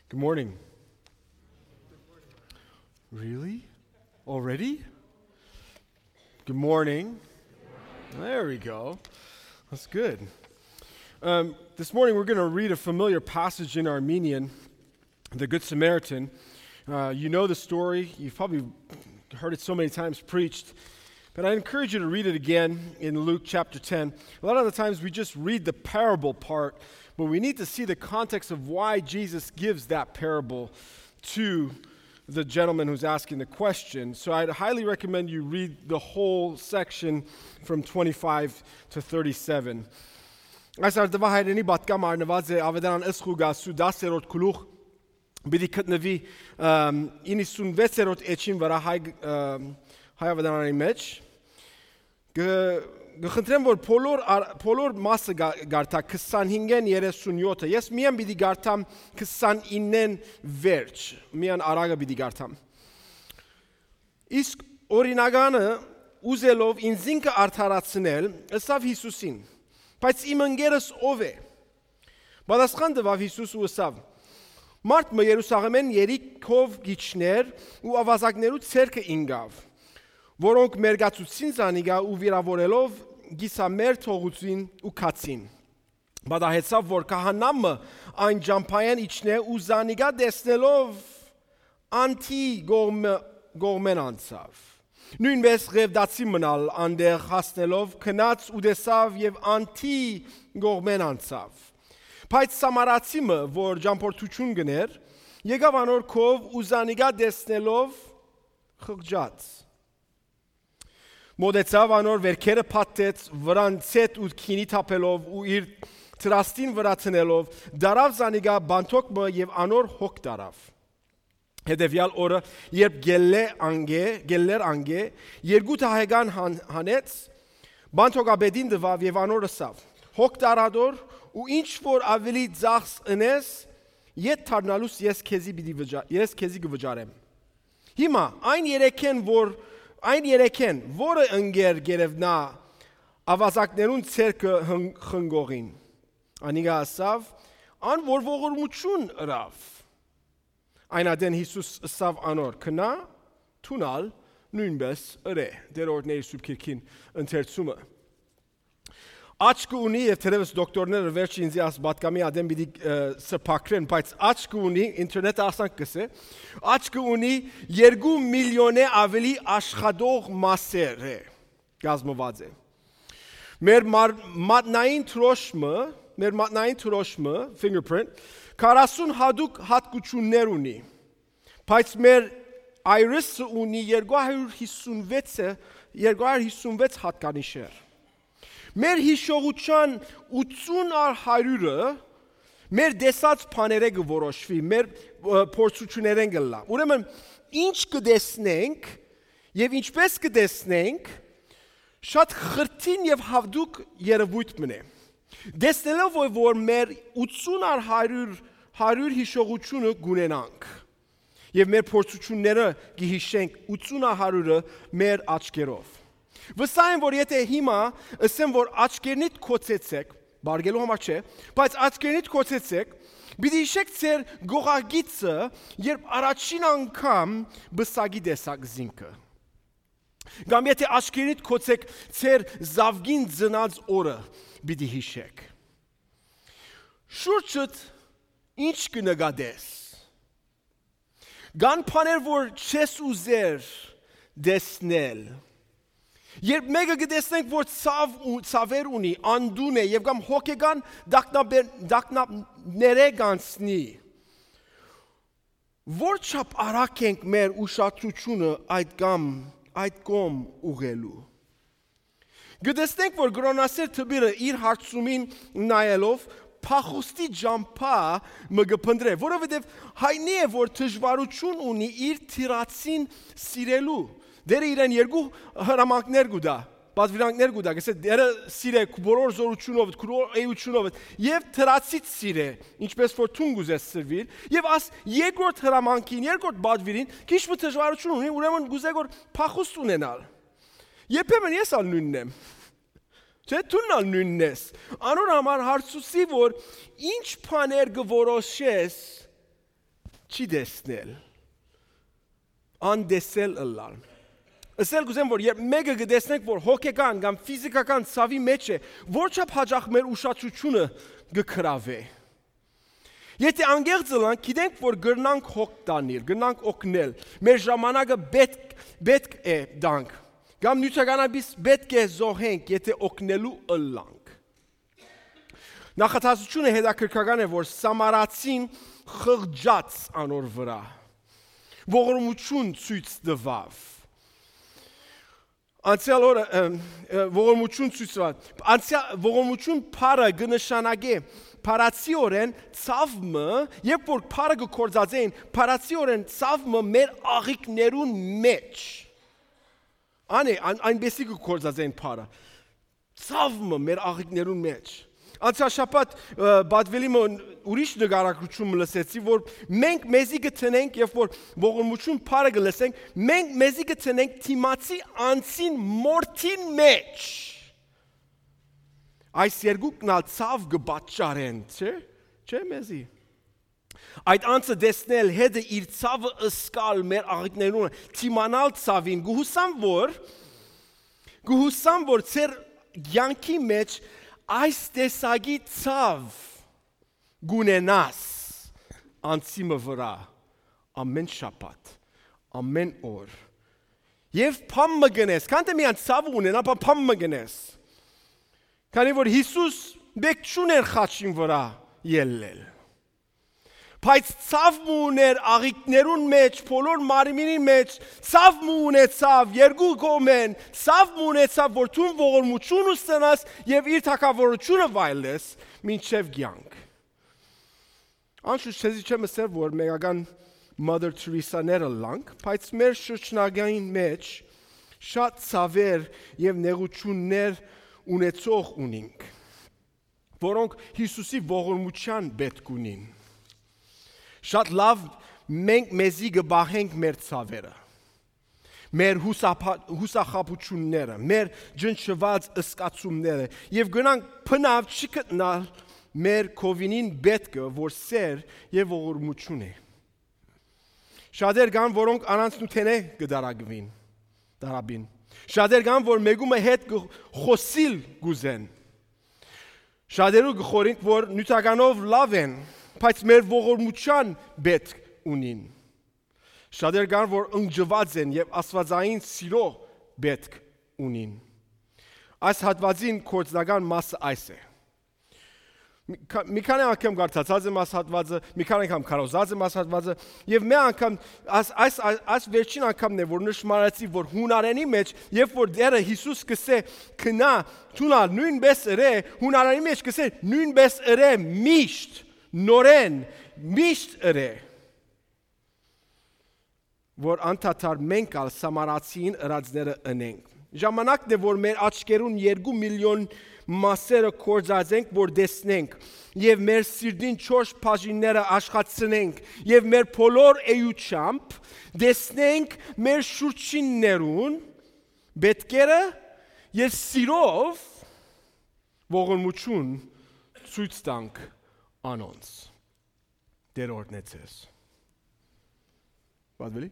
Good morning. Really? Already? Good morning. There we go. That's good. This morning we're going to read a familiar passage in Armenian, the Good Samaritan. You know the story. You've probably heard it so many times preached. But I encourage you to read it again in Luke chapter 10. A lot of the times we just read the parable part, but we need to see the context of why Jesus gives that parable to the gentleman who's asking the question. So I'd highly recommend you read the whole section from 25 to 37. Այս արդվա հայրենի բատկամ արնված է ավետարան ըսխուգասու 10-րդ գլուխ բիդի գտնվի 96-րդ էջին վրա հայ ավետարանի մեջ գխնդրեմ որ բոլոր մասը գարտա 25-ն 37-ը ես միան պիտի գարտամ 29-ն վերջ միան արագը պիտի գարտամ իսկ օրինականը ուզելով ինձինքը արդարացնել ըսավ Հիսուսին բայց իմ ընկերս ով է պատասխան տվավ Հիսուս ու ըսավ մարդ մը Երուսաղեմեն երիքով գիչներ ու ավազակներու ցերկը ինգավ որոնք մերգացուցին զանիգա ու վիրավորելով գիսամեր թողուցին ու կացին բադահեցավ որ քահանամը այն ջամփայեն իջնե ու զանիգա դեսնելով անտի գողմեն անցավ նույնպես ղևդացի մնալ անդեղ հասնելով քնած ու դեսավ եւ անտի գողմեն անցավ բայց սամարացիմը որ ջամփորդություն գներ եկավ անոր քով ու զանիգա դեսնելով խղճաց մոդեցավ անոր վերքերը փաթեց վրան ցետ ու քինի թափելով ու իր տրաստին վրա տնելով դարավ զանիգա բանթոկը եւ անոր հոգ դարավ Հետևյալ օրը երբ գելլեր անգե երկու թահեգան հանեց բանթոգաբեդին դվավ եւ անոր ըսավ հոգ դարադոր ու ինչ որ ավելի ծախս ընես ետ թարնալուս ես քեզի գվճարեմ հիմա այն երեքեն որը ընկեր գերևնա ավազակներուն ցերկը խնգողին անիգա ասավ ան որ ողորմություն ըրավ Այնադեն Հիսուս ըսավ անոր քնա թունալ նույնպես ըրե դերորդների սուրբ քիրքին ընթերցումը Աչք ունի եւ թերևս դոկտորները վերջին ինձ աս բատկամի ադեմ պիտի սփակրեն բայց աչք ունի ինտերնետը ասանք կսե աչք ունի 2 միլիոնե ավելի աշխատող մասեր է գազմված է մեր մատնային թրոշմը fingerprint 40 հատուկ հատկություններ ունի բայց մեր iris-ը ունի 256 հատկանիշեր մեր հիշողության 80-100-ը մեր դեսած բաները կորոշվի մեր փորձություններեն գլա ուրեմն ինչ կդեսնենք եւ ինչպես կդեսնենք շատ խրթին եւ հավդուկ երևույթ մնե Դեսնելով որ մեր 80-100 հիշողությունը գունենանք եւ մեր փորձությունները գիհիշենք 80-100-ը մեր աչքերով Վստահ եմ որ եթե հիմա ասեմ որ աչքերնիդ կոծեցեք բարգելու համար չէ բայց աչքերնիդ կոծեցեք պիտի հիշեք ձեր գողագիծը երբ առաջին անգամ բսագի տեսակ զինքը Կամ եթե աչքերնիդ կոծեք ձեր զավգին ծնած օրը Պիտի հիշեք Շուրջդ ինչ կնկատես Գան բաներ որ չես ուզեր դեսնել Երբ մեկը կտեսնենք որ ցավեր ունի անդուն է եւ կամ հոգեգան դակնաբները գանցնի Որ չափ արագ ենք մեր ուշադրությունը այդ կողմ ուղղելու Գտեսնենք, որ գրոնասեր թբիրը իր հարցումին նայելով փախուստի ջամփա մգփնդրե, որովհետև հայնի է, որ դժվարություն ունի իր թիրացին սիրելու։ Դերը իրեն երկու հրամանքներ գուտա, պատվիրանքներ գուտա, գսե դերը սիրե բոլոր զորությունով, բոլոր էությունով եւ թրացից սիրե, ինչպես որ թունգ ուզես սրվիր, եւ աս երկրորդ հրամանքին, երկրորդ պատվիրին քիչ մի դժվարություն ունի, ուրեմն գուզե որ փախուստ ունենալ։ Երբեմն ես ալ նույնն եմ։ Չէ՞ դու նույնն ես։ Անոր համար հարցուսի որ ինչ բաներ գորոշես չի դեսնել, անդեսել ըլլալ։ Ասել գուզեմ, որ երբ մեկը գտեսնենք, որ հոգեկան կամ ֆիզիկական ցավի մեջ է, որչափ հաճախ մեր ուշադրությունը գկրավե։ Եթե անգեղծ ըլանք, գիտենք, որ գրնանք հոգ տանիր, գրնանք օգնել, մեր ժամանակը պետք է դանք, կամ նյութականաբիս պետք է զոհենք, եթե օգնելու ըլանք։ Նախատասությունը հետաքրքրական է, որ Սամարացին խղճաց անոր վրա, ողորմություն ցույց տվավ։ Անցյալ օրը ողորմություն ցույց տվավ։ Ողորմություն փառը կնշանակե փառացիորեն ցավը, երբ որ փառը գործածեն, փառացիորեն ցավը մեր աղիքներուն մեջ։ Այնպեսի գործածեն փառը։ Ցավը մեր աղիքներուն մեջ։ Անցյալ շաբաթ բադվելի ուրիշ նկարագրություն լսեցի, որ մենք մեզի գտնենք, երբ որ ողորմություն փառը գլսենք, մենք մեզի գտնենք թիմացի անցին մորթին մեջ։ Այս երկուքն ալ ցավ կբաճարեն, չէ՞ մեզի։ Այդ անցը դեսնել հետը իր ցավը ըսկալ մեր աղիքներուն, թիմանալ ցավին, գուհուսամ որ ծեր յանքի մեջ այս տեսակի ցավ գունենաս անցիմը վրա ամեն շաբաթ, ամեն օր։ Եվ փամը գնես, կանտե միան ցավ ունենա, փամը գնես։ Քանի որ Հիսուս բեք չուներ խաչին վրա ելնել։ Բայց ցավ ուներ աղիքներուն մեջ, բոլոր մարմինի մեջ, ցավ ունեցավ, երկու կողմեն, ցավ ունեցավ, որ դու ողորմություն ստանաս եւ իր թակավորությունը վայելես մինչեւ կյանք։ Անշուշտ ցեզի չեմ ասել, որ մեկական Mother Teresa-ները լանք, բայց մեր շրջնագային մեջ շատ ցավեր եւ նեղություններ ունեցող ունենք, որոնք Հիսուսի ողորմության պետք ունին։ Շատ լավ մենք մեզի գբահենք մեր ցավերը, մեր հուսախաբությունները, մեր ջնջված ըսկացումները եւ գնանք փնավ չգտնալ մեր կովինին պետքը, որ սեր եւ ողորմություն է։ Շատեր կան, որոնք առանց նութենե կդարագվին, դարաբին։ Շատեր կան, որ մեգումը հետ խոսիլ գուզեն։ Շատերու գխորինք, որ նյութականով լավ են, բայց մեր ողորմության պետք ունին։ Շատեր կան, որ ընջված են եւ աստվածային սիրո պետք ունին։ Այս հատվածին կորցնական մասը այս է։ Մի քանի անգամ կարդացած եմ այս հատվածը, մի քանի անգամ քարոզած եմ այս հատվածը, եւ մի անգամ այս վերջին անգամն է, որ նշмарացի, որ հունարենի մեջ, երբ որ դերը Հիսուս կսե քնա, թունա նույնպես ըրե, հունարենի մեջ կսե նույնպես ըրե միշտ, նորեն, միշտ ըրե, որ անդադար մենք ալ սամարացին ըրածները ընենք։ Ժամանակն է, որ մեր աչքերուն 2 միլիոն մասերը կործածենք, որ դեսնենք, եւ մեր սիրտին 4 բաժինները աշխատցնենք, եւ մեր բոլոր էյությամբ դեսնենք մեր շուրջիններուն պետքերը եւ սիրով ողորմություն ցույց տանք անոնց։ Դեր օրհնեցես։ Բադվելի